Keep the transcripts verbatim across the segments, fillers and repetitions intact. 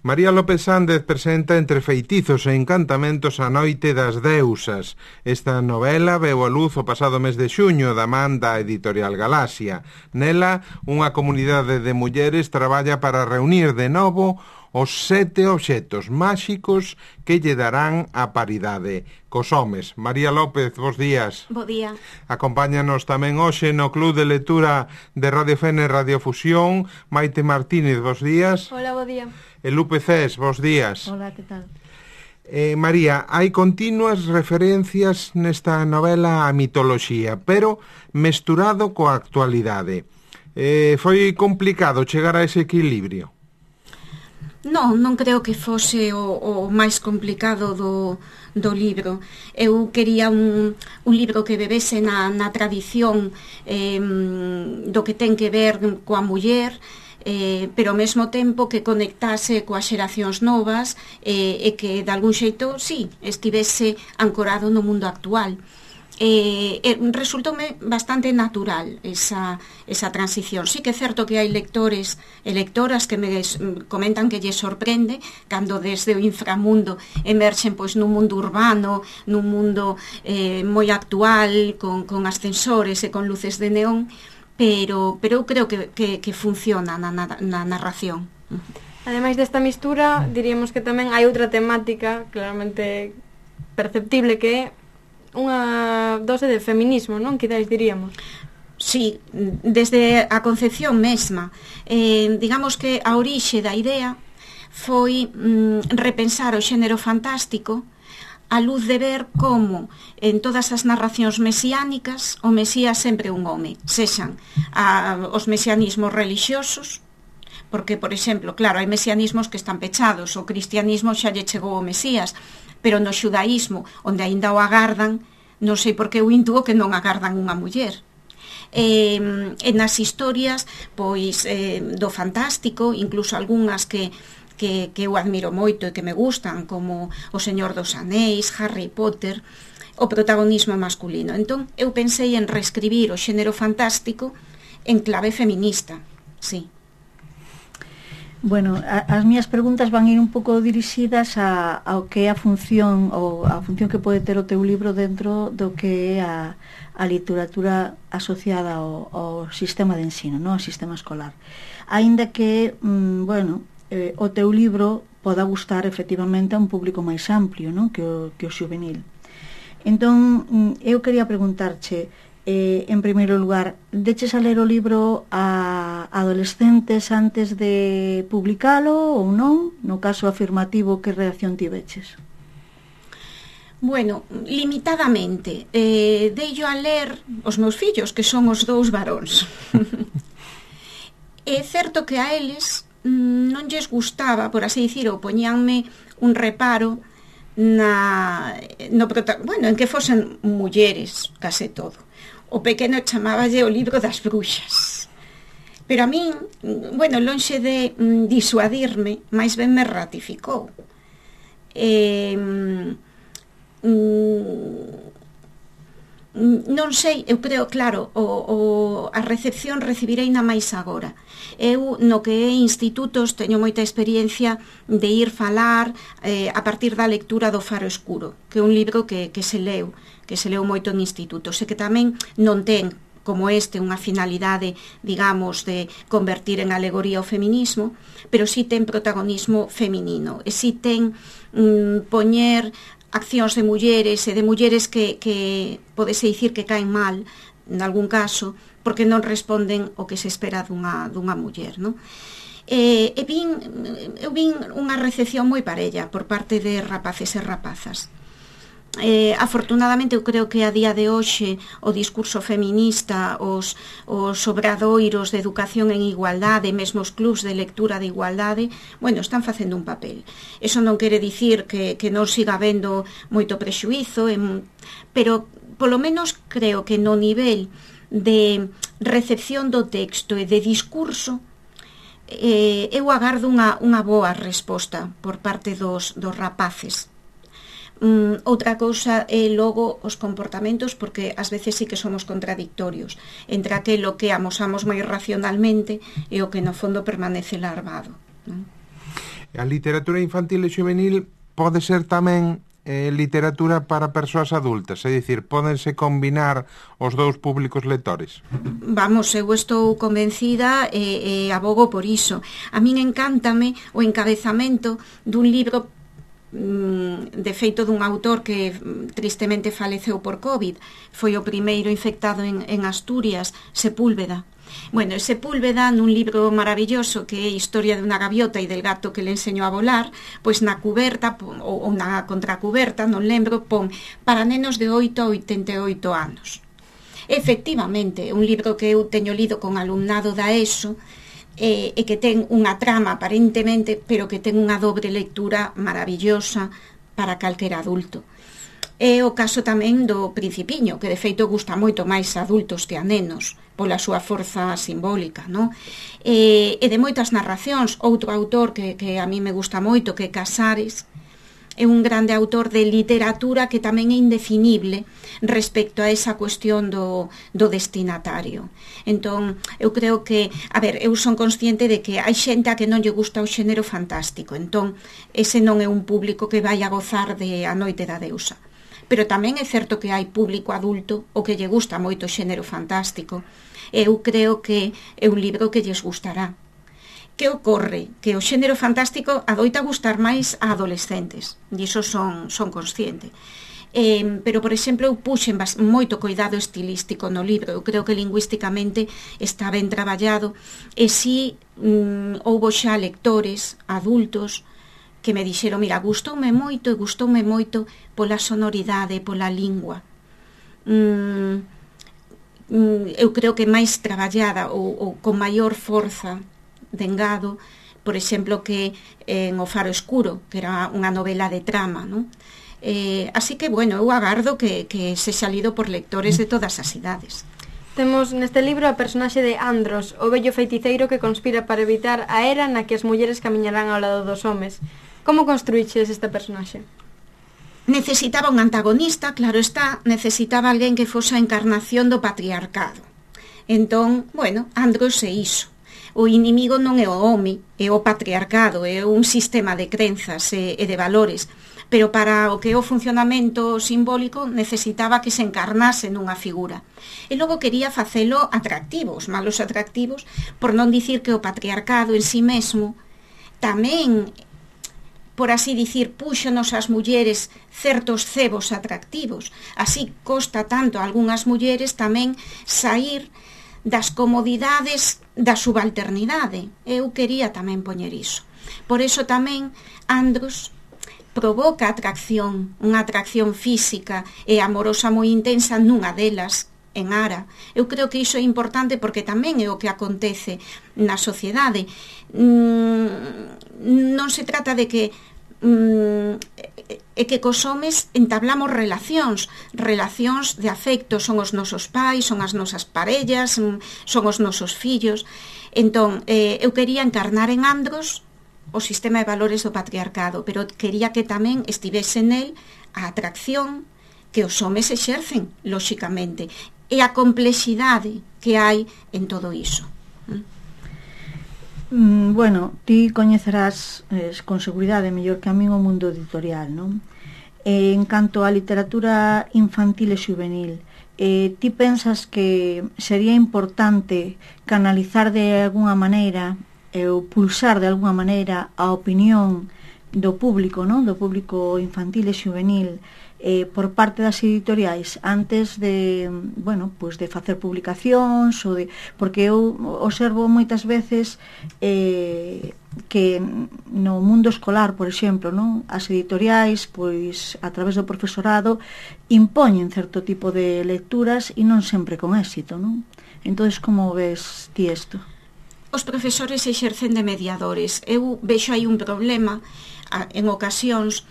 María López Sández presenta Entre feitizos e encantamentos a noite das deusas. Esta novela veu a luz o pasado mes de xuño da man da editorial Galaxia. Nela, unha comunidade de mulleres traballa para reunir de novo os sete obxetos máxicos que lle darán a paridade cos homes. María López, bos días. Bo día. Acompáñanos tamén hoxe no Club de Lectura de Radio Fene Radiofusión Maite Martínez, bos días. Hola, bo día. E Lupe Cés, bos días. Hola, que tal? Eh, María, hai continuas referencias nesta novela a mitoloxía, pero mesturado coa actualidade. Eh, foi complicado chegar a ese equilibrio? Non, non creo que fose o, o máis complicado do, do libro. Eu quería un, un libro que bebese na, na tradición eh, do que ten que ver coa muller, Eh, pero ao mesmo tempo que conectase coas xeracións novas eh, e que de algún xeito, sí, estivese ancorado no mundo actual. Eh, eh, resultoume bastante natural esa, esa transición. Sí que é certo que hai lectores e lectoras que me comentan que lle sorprende cando desde o inframundo emerxen pois nun mundo urbano, nun mundo eh, moi actual, con, con ascensores e con luces de neón, pero pero eu creo que, que, que funciona na, na, na narración. Ademais desta mistura, diríamos que tamén hai outra temática claramente perceptible que é unha dose de feminismo, non? Quizás diríamos. Sí, desde a concepción mesma. Eh, digamos que a orixe da idea foi mm, repensar o xénero fantástico a luz de ver como en todas as narracións mesiánicas o Mesías sempre é un home, sexan a, os mesianismos relixiosos, porque, por exemplo, claro, hai mesianismos que están pechados, o cristianismo xa lle chegou o Mesías, pero no xudaísmo, onde aínda o agardan, non sei por que eu intuo que non agardan unha muller. Eh, en as historias pois eh, do fantástico, incluso algunhas que Que, que eu admiro moito e que me gustan, como O Señor dos Anéis, Harry Potter, o protagonismo masculino. Entón, eu pensei en reescribir o xénero fantástico en clave feminista, sí. Bueno, a, as miñas preguntas van ir un pouco dirixidas a, ao que é a función ou a función que pode ter o teu libro dentro do que é a, a literatura asociada ao, ao sistema de ensino, non? Ao sistema escolar. Aínda que, mm, bueno, eh, o teu libro poda gustar efectivamente a un público máis amplio, non? Que o, que o xuvenil. Entón, eu quería preguntarche, eh, en primeiro lugar, deches a ler o libro a adolescentes antes de publicalo ou non? No caso afirmativo, que reacción tiveches? Bueno, limitadamente. Eh, deillo a ler os meus fillos, que son os dous varóns. É certo que a eles non lles gustaba, por así dicir, ou poñíanme un reparo na, no, bueno, en que fosen mulleres, case todo. O pequeno chamáballe o libro das bruxas. Pero a min, bueno, lonxe de mm, disuadirme, máis ben me ratificou. Eh, mm, non sei, eu creo, claro, o, o, a recepción recibirei na máis agora. Eu, no que é institutos, teño moita experiencia de ir falar eh, a partir da lectura do Faro Escuro, que é un libro que, que se leu, que se leu moito en institutos, e que tamén non ten, como este, unha finalidade, digamos, de convertir en alegoría o feminismo, pero sí ten protagonismo feminino, e sí ten mm, poñer accións de mulleres e de mulleres que, que podese dicir que caen mal, en algún caso, porque non responden o que se espera dunha, dunha muller, non? E, e vin, eu vin unha recepción moi parella por parte de rapaces e rapazas. Eh, afortunadamente eu creo que a día de hoxe o discurso feminista, os, os obradoiros de educación en igualdade, mesmo os clubs de lectura de igualdade, bueno, están facendo un papel. Eso non quere dicir que, que non siga habendo moito prexuízo, en, pero polo menos creo que no nivel de recepción do texto e de discurso eh, eu agardo unha, unha boa resposta por parte dos, dos rapaces. Mm, outra cousa é logo os comportamentos, porque ás veces sí que somos contradictorios entre aquilo que amosamos moi racionalmente e o que no fondo permanece larvado, non? A literatura infantil e juvenil pode ser tamén eh, literatura para persoas adultas, é dicir, pódense combinar os dous públicos lectores? Vamos, eu estou convencida e, e abogo por iso. A min encántame o encabezamento dun libro de feito dun autor que tristemente faleceu por COVID, foi o primeiro infectado en, en Asturias, Sepúlveda. Bueno, Sepúlveda, nun libro maravilloso que é Historia de unha gaviota e del gato que le enseñou a volar, pois na cuberta, ou, ou na contracuberta, non lembro, pon para nenos de oito a oitenta e oito anos. Efectivamente, un libro que eu teño lido con alumnado da ESO, e, e que ten unha trama aparentemente, pero que ten unha dobre lectura maravillosa para calquera adulto. É o caso tamén do Principiño, que de feito gusta moito máis a adultos que a nenos, pola súa forza simbólica, non? E, e de moitas narracións, outro autor que, que a mí me gusta moito, que é Casares, é un grande autor de literatura que tamén é indefinible respecto a esa cuestión do, do destinatario. Entón, eu creo que, a ver, eu son consciente de que hai xente a que non lle gusta o xénero fantástico, entón, ese non é un público que vai a gozar de A noite da deusa. Pero tamén é certo que hai público adulto o que lle gusta moito o xénero fantástico. Eu creo que é un libro que lles gustará. Que ocorre? Que o xénero fantástico adoita gustar máis a adolescentes, e iso son, son consciente. Eh, pero, por exemplo, eu puxen moito cuidado estilístico no libro. Eu creo que lingüísticamente está ben traballado, e si mm, houbo xa lectores adultos que me dixeron, mira, gustoume moito e gustoume moito pola sonoridade, pola lingua. Mm, mm, eu creo que máis traballada ou, ou con maior forza de engado, por exemplo, que en O faro escuro, que era unha novela de trama, non? Eh, así que, bueno, eu agardo que, que sexa lido por lectores de todas as idades. Temos neste libro a personaxe de Andros, o vello feiticeiro que conspira para evitar a era na que as mulleres camiñarán ao lado dos homes. Como construíches este personaxe? Necesitaba un antagonista, claro está, necesitaba alguén que fose a encarnación do patriarcado. Entón, bueno, Andros é iso. O inimigo non é o home, é o patriarcado, é un sistema de crenzas e, e de valores, pero para o que é o funcionamento simbólico necesitaba que se encarnase nunha figura. E logo quería facelo atractivo, os malos atractivos, por non dicir que o patriarcado en si mesmo tamén, por así dicir, púxonos as mulleres certos cebos atractivos. Así costa tanto a algunhas mulleres tamén sair das comodidades da subalternidade. Eu quería tamén poñer iso. Por eso tamén Andros provoca atracción, unha atracción física e amorosa moi intensa nunha delas, en Ara. Eu creo que iso é importante porque tamén é o que acontece na sociedade. Non se trata de que é que cos homes entablamos relacións relacións de afecto, son os nosos pais, son as nosas parellas, son os nosos fillos. Entón, eh, eu quería encarnar en Andros o sistema de valores do patriarcado, pero quería que tamén estivese nel a atracción que os homes exercen, lóxicamente, e a complexidade que hai en todo iso. Mm, bueno, ti coñecerás eh, con seguridade mellor que a min o mundo editorial, non? Eh, en canto á literatura infantil e juvenil, eh, ti pensas que sería importante canalizar de alguna maneira eh, ou pulsar de alguna maneira a opinión do público, non? Do público infantil e juvenil eh, por parte das editoriais antes de, bueno, pues de facer publicacións ou de, porque eu observo moitas veces eh, que no mundo escolar, por exemplo, non? As editoriais, pois a través do profesorado impoñen certo tipo de lecturas e non sempre con éxito, non? Entonces, como ves ti isto? Os profesores exercen de mediadores. Eu vexo aí un problema en ocasións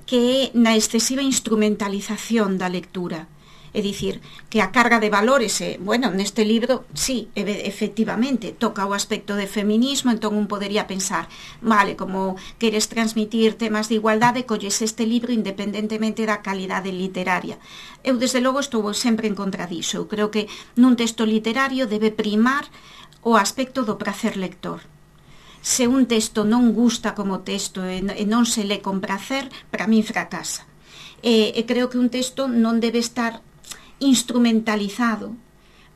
que é na excesiva instrumentalización da lectura. É dicir, que a carga de valores, é, bueno, neste libro, sí, efectivamente, toca o aspecto de feminismo, entón un podería pensar, vale, como queres transmitir temas de igualdade, colles este libro independentemente da calidade literaria. Eu, desde logo, estou sempre en contra diso. Eu creo que nun texto literario debe primar o aspecto do prazer lector. se un texto non gusta como texto e, e non se lê con prazer, para min fracasa. E, e creo que un texto non debe estar instrumentalizado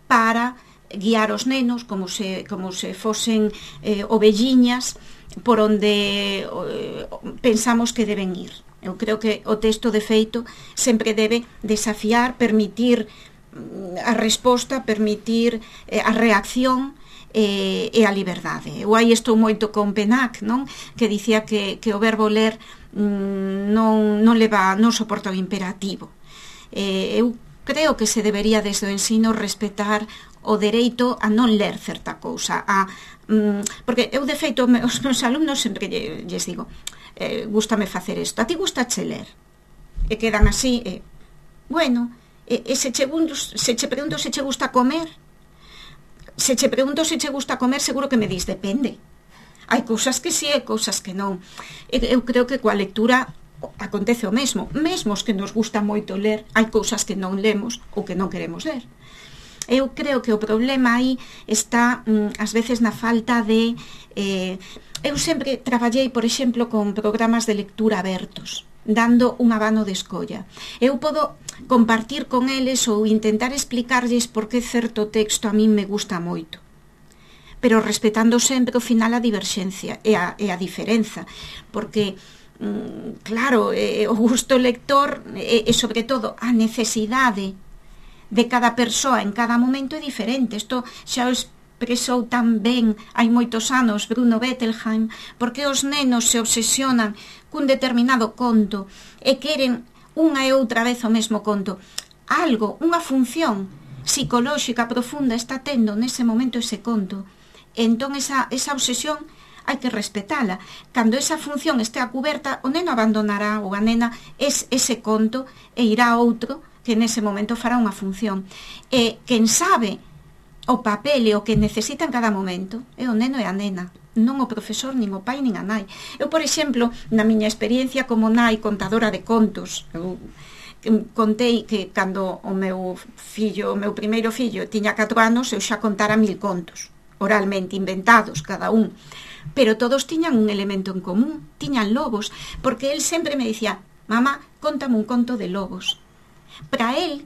para guiar os nenos como se, como se fosen eh, ovelliñas por onde eh, pensamos que deben ir. Eu creo que o texto de feito sempre debe desafiar, permitir a resposta, permitir eh, a reacción e, e a liberdade. Eu aí estou moito con Penac, non? Que dicía que, que o verbo ler mm, non, non leva, non soporta o imperativo. Eh, eu creo que se debería desde o ensino respetar o dereito a non ler certa cousa, a, mm, porque eu de feito os meus alumnos sempre lles digo, eh, gústame facer isto, a ti gustache ler? E quedan así, eh, bueno, e, e se, che, se che pregunto se che gusta comer, se che pregunto se che gusta comer, seguro que me dis, depende. Hai cousas que sí e cousas que non. E, eu creo que coa lectura acontece o mesmo, mesmo os que nos gusta moito ler, hai cousas que non lemos ou que non queremos ler. Eu creo que o problema aí está mm, ás veces na falta de eh, eu sempre traballei, por exemplo, con programas de lectura abertos, dando un abano de escolla. Eu podo compartir con eles ou intentar explicarlles por que certo texto a min me gusta moito, pero respetando sempre ao final a diverxencia e a, e a diferenza, porque claro, eh, o gusto lector e, e sobre todo a necesidade de cada persoa en cada momento é diferente. Isto xa o expresou tan ben hai moitos anos Bruno Bettelheim, porque os nenos se obsesionan cun determinado conto e queren unha e outra vez o mesmo conto. Algo, unha función psicolóxica profunda está tendo nese momento ese conto. Entón esa, esa obsesión hai que respetala. Cando esa función este a cuberta, o neno abandonará ou a nena es ese conto e irá a outro que nese momento fará unha función. E quen sabe o papel e o que necesita en cada momento é o neno e a nena, non o profesor, nin o pai, nin a nai. Eu, por exemplo, na miña experiencia como nai contadora de contos, eu contei que cando o meu fillo, o meu primeiro fillo tiña catro anos, eu xa contara mil contos, oralmente inventados cada un. Pero todos tiñan un elemento en común, tiñan lobos, porque él sempre me dicía, mamá, contame un conto de lobos. Para él,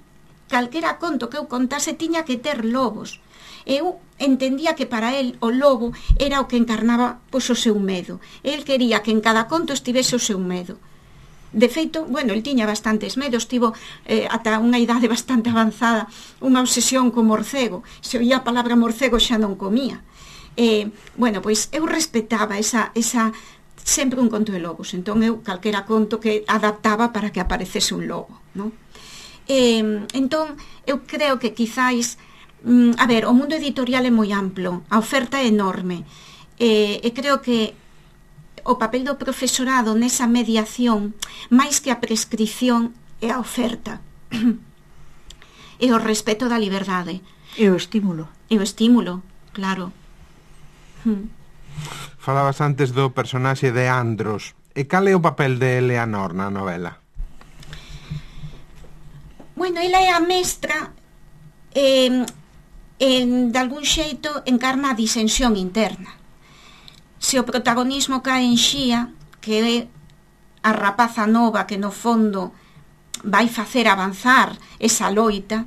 calquera conto que eu contase tiña que ter lobos. Eu entendía que para él o lobo era o que encarnaba pois, o seu medo. El quería que en cada conto estivese o seu medo. De feito, bueno, el tiña bastantes medos, tivo eh, ata unha idade bastante avanzada, unha obsesión co morcego. Se oía a palabra morcego xa non comía. Eh, bueno, pois eu respetaba esa, esa sempre un conto de lobos, entón eu calquera conto que adaptaba para que aparecese un lobo, non? Eh, entón eu creo que quizáis mm, a ver, o mundo editorial é moi amplo, a oferta é enorme, eh, e creo que o papel do profesorado nesa mediación, máis que a prescripción, é a oferta e o respeto da liberdade e o estímulo e o estímulo, claro. Falabas antes do personaxe de Andros. E cal é o papel de Eleanor na novela? Bueno, ela é a mestra eh, en, de algún xeito encarna a disensión interna. Se o protagonismo cae en Xía, que é a rapaza nova que no fondo vai facer avanzar esa loita,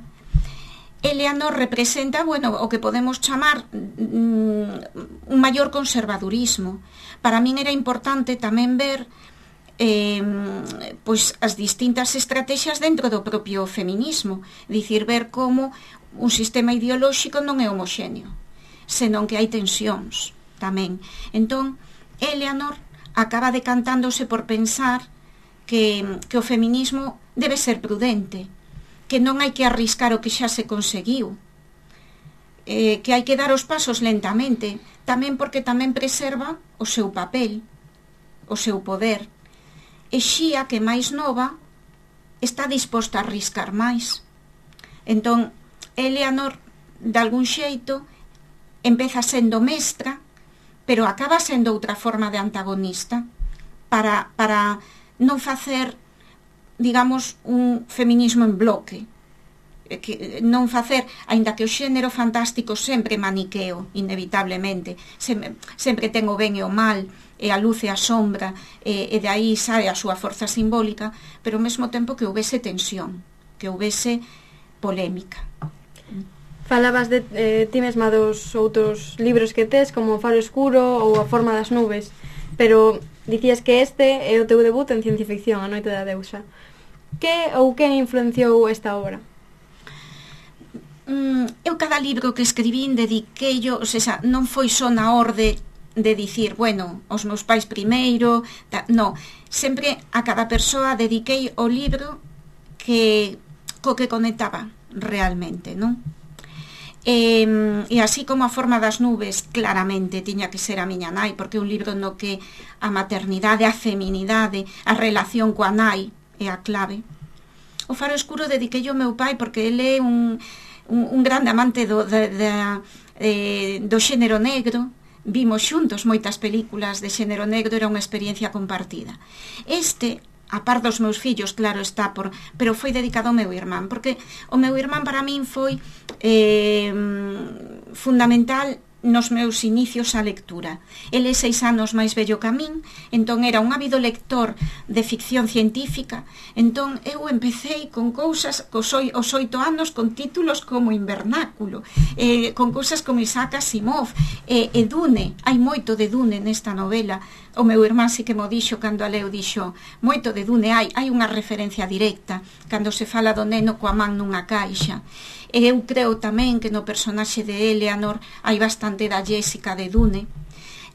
Eleanor representa, bueno, o que podemos chamar mm, un maior conservadurismo. Para min era importante tamén ver eh, pois as distintas estrategias dentro do propio feminismo, dicir, ver como un sistema ideolóxico non é homoxéneo, senón que hai tensións tamén. Entón, Eleanor acaba decantándose por pensar que, que o feminismo debe ser prudente, que non hai que arriscar o que xa se conseguiu, eh, que hai que dar os pasos lentamente, tamén porque tamén preserva o seu papel, o seu poder. E Xía, que máis nova, está disposta a arriscar máis. Entón, Eleanor, de algún xeito, empeza sendo mestra, pero acaba sendo outra forma de antagonista, para, para non facer, digamos, un feminismo en bloque. que non facer, aínda que o xénero fantástico sempre maniqueo, inevitablemente, sempre, sempre ten o ben e o mal, e a luz e a sombra, e, e de aí sae a súa forza simbólica, pero ao mesmo tempo que houvese tensión, que houvese polémica. Falabas de eh, ti mesma dos outros libros que tes, como O faro escuro ou A forma das nubes, pero dicías que este é o teu debut en ciencia ficción, A noite da deusa. Que ou que influenciou esta obra? Eu cada libro que escribín dediquei yo, ou seja, non foi só na orde de dicir, bueno, os meus pais primeiro, ta, no, sempre a cada persoa dediquei o libro que co que conectaba realmente, non? E, e así como A forma das nubes claramente tiña que ser a miña nai, porque é un libro no que a maternidade, a feminidade, a relación coa nai é a clave. O faro escuro dediquei ao meu pai porque ele é un Un, un grande amante do, de, de, eh, do xénero negro. Vimos xuntos moitas películas de xénero negro, era unha experiencia compartida. Este, a par dos meus fillos, claro está, por, pero foi dedicado ao meu irmán, porque o meu irmán para min foi eh, fundamental nos meus inicios á lectura. Ele é seis anos máis vello que a min, entón era un ávido lector de ficción científica, entón eu empecéi con cousas cos os oito anos con títulos como Invernáculo, eh, con cousas como Isaac Asimov, eh, e Dune, hai moito de Dune nesta novela. O meu irmán si que mo dixo cando a leu, dixo, moito de Dune hai, hai unha referencia directa cando se fala do neno coa man nunha caixa. E eu creo tamén que no personaxe de Eleanor hai bastante da Jessica de Dune.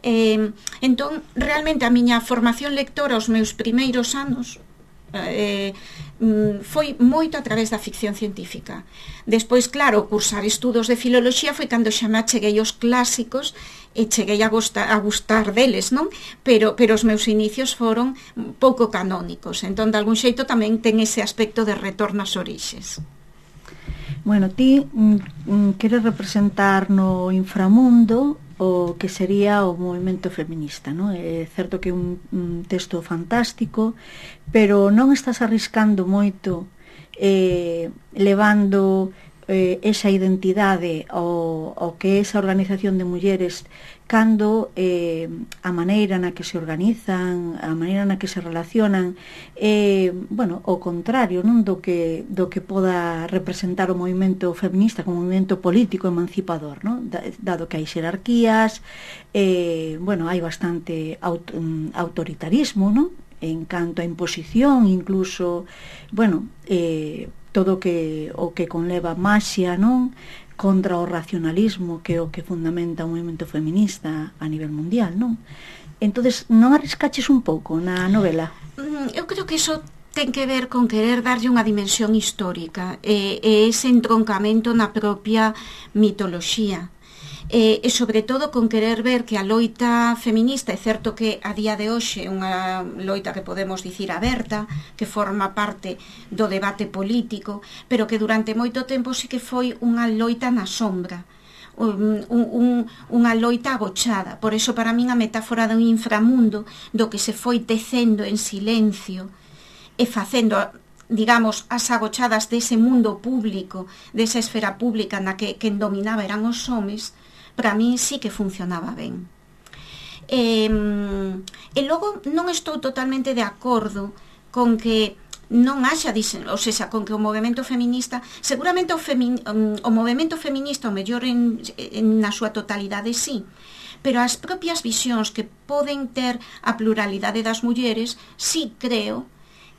Eh, entón, realmente a miña formación lectora os meus primeiros anos eh, foi moito a través da ficción científica. Despois, claro, cursar estudos de filoloxía foi cando xa me acheguei aos clásicos e cheguei a gustar, a gustar deles, non? Pero, pero os meus inicios foron pouco canónicos, entón de algún xeito tamén ten ese aspecto de retorno ás orixes. Bueno, ti mm, queres representar no inframundo o que sería o movimento feminista, non? É certo que é un, un texto fantástico, pero non estás arriscando moito eh, levando eh, esa identidade ao, ao que é esa organización de mulleres cando eh, a maneira na que se organizan, a maneira na que se relacionan é, eh, bueno, o contrario, non do que do que poda representar o movimento feminista como movimento político emancipador, non? Dado que hai xerarquías, eh, bueno, hai bastante aut autoritarismo, non? En canto a imposición, incluso, bueno, eh, todo que o que conleva maxia, non? Contra o racionalismo, que é o que fundamenta o movimento feminista a nivel mundial, non? Entonces, non arriscaches un pouco na novela? Eu creo que iso ten que ver con querer darlle unha dimensión histórica e, e ese entroncamento na propia mitoloxía. E, e sobre todo con querer ver que a loita feminista, é certo que a día de hoxe é unha loita que podemos dicir aberta, que forma parte do debate político, pero que durante moito tempo sí que foi unha loita na sombra, un, un, unha loita abochada. Por eso para min a metáfora dun inframundo do que se foi tecendo en silencio e facendo, digamos, as agochadas dese mundo público, desa esfera pública na que quen dominaba eran os homes, para mí sí que funcionaba ben. E, e logo non estou totalmente de acordo con que non haxa, ou seja, con que o movimento feminista, seguramente o, femi, o movimento feminista o mellor en, en, na súa totalidade sí, pero as propias visións que poden ter a pluralidade das mulleres sí creo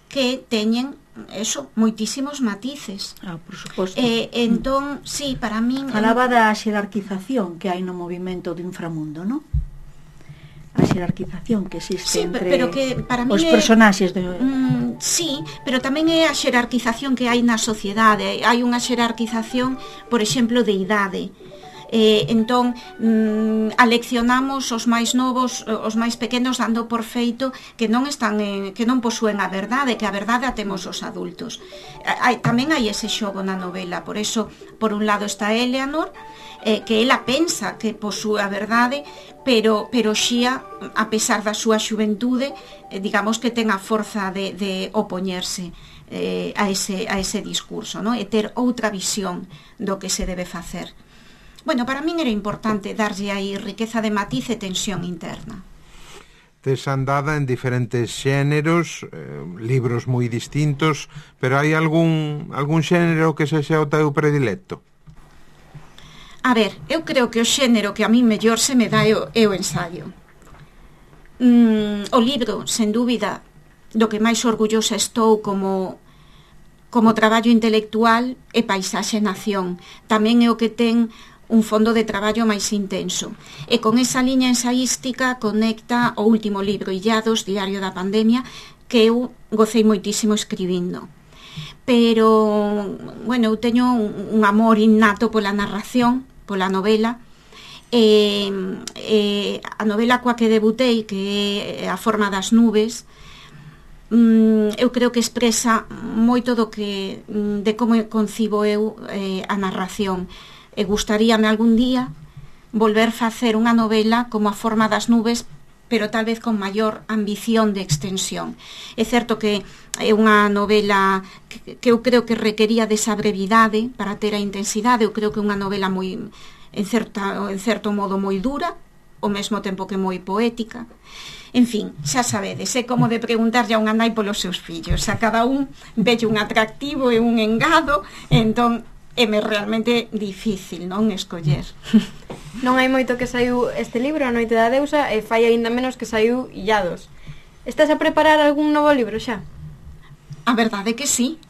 que teñen eso, moitísimos matices. Ah, por suposto. Eh, entón, sí, para min... Falaba da xerarquización que hai no movimento do inframundo, non? A xerarquización que existe sí, entre pero que para os é, personaxes de... Mm, sí, pero tamén é a xerarquización que hai na sociedade. Hai unha xerarquización, por exemplo, de idade. Eh, entón, mm, aleccionamos os máis novos, os máis pequenos, dando por feito que non están en, que non posúen a verdade, que a verdade a temos os adultos. Hai, tamén hai ese xogo na novela, por eso, por un lado está Eleanor, eh, que ela pensa que posúe a verdade, pero, pero Xia, a pesar da súa xuventude, eh, digamos que ten a forza de, de opoñerse eh, a, ese, a ese discurso, ¿no? E ter outra visión do que se debe facer. Bueno, para min era importante darlle aí riqueza de matiz e tensión interna. Tes andada en diferentes xéneros, eh, libros moi distintos, pero hai algún, algún xénero que sexa o teu predilecto? A ver, eu creo que o xénero que a mí mellor se me dá é o, é o ensaio. Mm, o libro, sen dúbida, do que máis orgullosa estou como, como traballo intelectual é Paisaxe e Nación. Tamén é o que ten un fondo de traballo máis intenso. E con esa liña ensaística conecta o último libro, Illados, Diario da Pandemia, que eu gocei moitísimo escribindo. Pero, bueno, eu teño un, un amor innato pola narración, pola novela, e, e a novela coa que debutei, que é A forma das nubes, eu creo que expresa moito do que, de como concibo eu eh, a narración. E gustaríame algún día volver facer unha novela como A forma das nubes, pero tal vez con maior ambición de extensión. É certo que é unha novela que, que eu creo que requería desa brevidade para ter a intensidade. Eu creo que é unha novela moi, en, certa, en certo modo moi dura, ao mesmo tempo que moi poética. En fin, xa sabedes, é como de preguntarlle a unha nai polos seus fillos. A cada un velle un atractivo e un engado, entón é-me realmente difícil, non, escoller. Non hai moito que saiu este libro, A noite da deusa, e fai aínda menos que saiu Illados. Estás a preparar algún novo libro xa? A verdade que sí.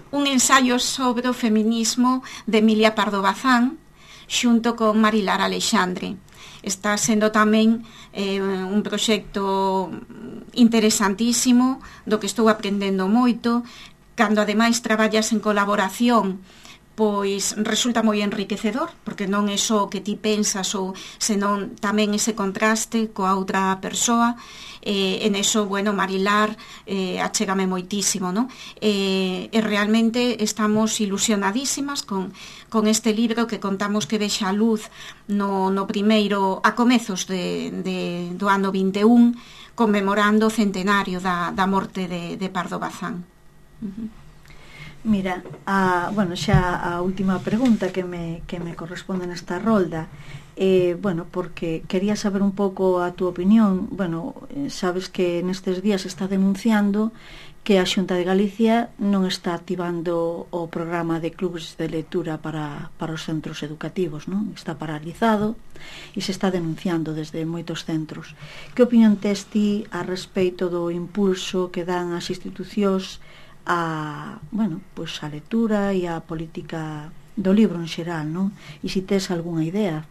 Un ensaio sobre o feminismo de Emilia Pardo Bazán, xunto con Marilar Alexandre. Está sendo tamén eh, un proxecto interesantísimo, do que estou aprendendo moito. Cando ademais traballas en colaboración, pois resulta moi enriquecedor, porque non é só o que ti pensas, ou senón tamén ese contraste coa outra persoa. Eh, en eso, bueno, Marilar eh, achégame moitísimo, non? Eh, e realmente estamos ilusionadísimas con, con este libro que contamos que vexa a luz no, no primeiro, a comezos de, de, do ano vinte e un, conmemorando o centenario da, da morte de, de Pardo Bazán. Mira, a, bueno, xa a última pregunta que me, que me corresponde nesta rolda, eh, bueno, porque quería saber un pouco a túa opinión. Bueno, sabes que nestes días está denunciando que a Xunta de Galicia non está activando o programa de clubes de lectura para, para os centros educativos, non? Está paralizado e se está denunciando desde moitos centros. Que opinión tes ti a respeito do impulso que dan as institucións a, bueno, pues a lectura e a política do libro en xeral, non? E se tes algunha idea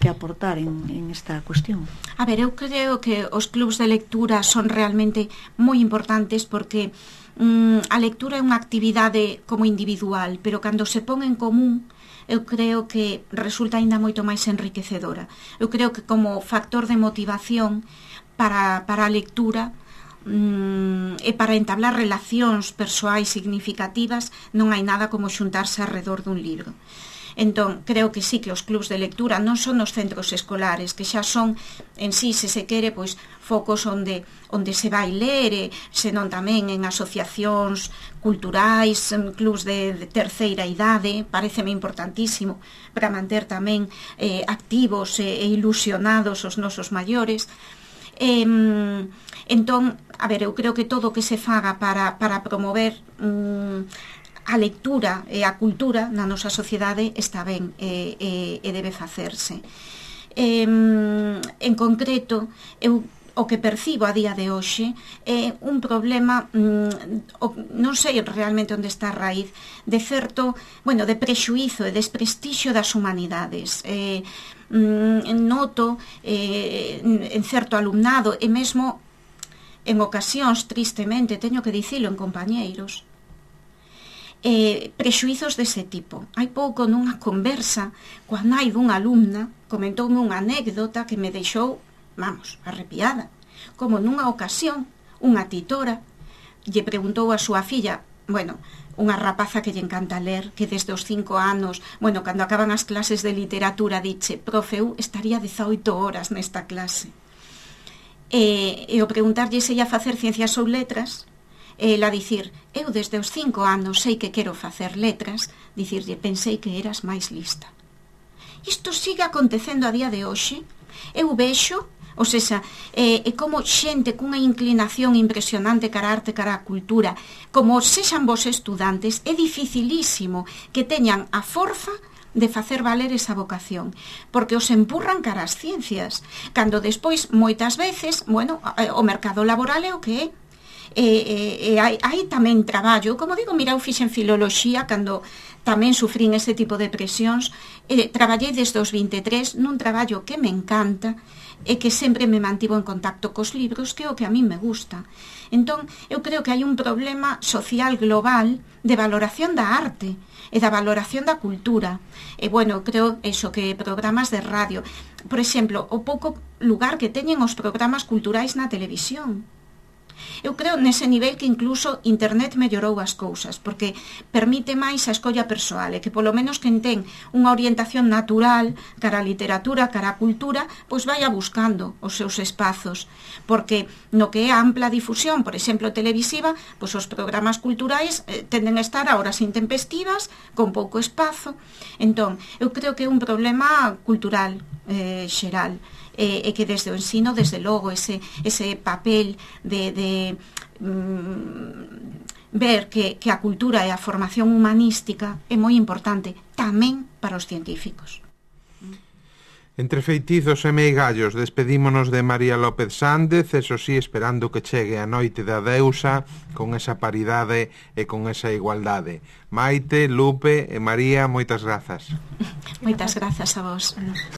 que aportar en, en esta cuestión. A ver, eu creo que os clubs de lectura son realmente moi importantes, porque mm, a lectura é unha actividade como individual, pero cando se pon en común, eu creo que resulta aínda moito máis enriquecedora. Eu creo que como factor de motivación para, para a lectura mm, e para entablar relacións persoais significativas, non hai nada como xuntarse alrededor dun libro. Entón, creo que sí, que os clubs de lectura non son os centros escolares, que xa son en sí, se se quere, pois focos onde onde se vai ler, e senón tamén en asociacións culturais, en clubs de, de terceira idade. Paréceme importantísimo para manter tamén eh, activos e, e ilusionados os nosos maiores. Eh, entón, a ver, eu creo que todo o que se faga para, para promover mm, a lectura e a cultura na nosa sociedade está ben e, e, e debe facerse. Eh, en concreto, eu o que percibo a día de hoxe é un problema, mm, o, non sei realmente onde está a raíz, de certo, bueno, de prexuízo e desprestixio das humanidades. Eh, mm, noto eh, en certo alumnado, e mesmo en ocasións, tristemente, teño que dicilo, en compañeiros, eh, prexuizos dese tipo. Hai pouco nunha conversa coa nai dunha alumna comentoume unha anécdota que me deixou, vamos, arrepiada. Como nunha ocasión unha titora lle preguntou a súa filla, bueno, unha rapaza que lle encanta ler, que desde os cinco anos, bueno, cando acaban as clases de literatura, diche, profe, eu estaría dezaoito horas nesta clase. E, e o preguntarlle se ia facer ciencias ou letras, e ela dicir, eu desde os cinco anos sei que quero facer letras, dicirlle, pensei que eras máis lista. Isto sigue acontecendo a día de hoxe. Eu vexo, ou seja, é, é como xente cunha inclinación impresionante cara a arte, cara a cultura, como sexan vos estudantes, é dificilísimo que teñan a forza de facer valer esa vocación, porque os empurran cara as ciencias, cando despois, moitas veces, bueno, o mercado laboral é o que é. E, e, e hai, hai tamén traballo, como digo, mira, eu fixen filoloxía cando tamén sufrín ese tipo de presións, e traballei desde os vinte e tres nun traballo que me encanta e que sempre me mantivo en contacto cos libros, que é o que a mí me gusta. Entón, eu creo que hai un problema social global de valoración da arte e da valoración da cultura. E, bueno, creo eso, que programas de radio, por exemplo, o pouco lugar que teñen os programas culturais na televisión. Eu creo nese nivel que incluso internet mellorou as cousas, porque permite máis a escolla persoal, e que polo menos quen ten unha orientación natural cara a literatura, cara a cultura, pois vai buscando os seus espazos, porque no que é a ampla difusión, por exemplo, televisiva, pois os programas culturais eh, tenden a estar a horas intempestivas, con pouco espazo. Entón, eu creo que é un problema cultural eh, xeral, e, e que desde o ensino, desde logo, ese, ese papel de, de mm, ver que, que a cultura e a formación humanística é moi importante tamén para os científicos. Entre feitizos e meigallos despedímonos de María López Sández, eso sí, esperando que chegue a noite da deusa con esa paridade e con esa igualdade. Maite, Lupe e María, moitas grazas. Moitas grazas a vos.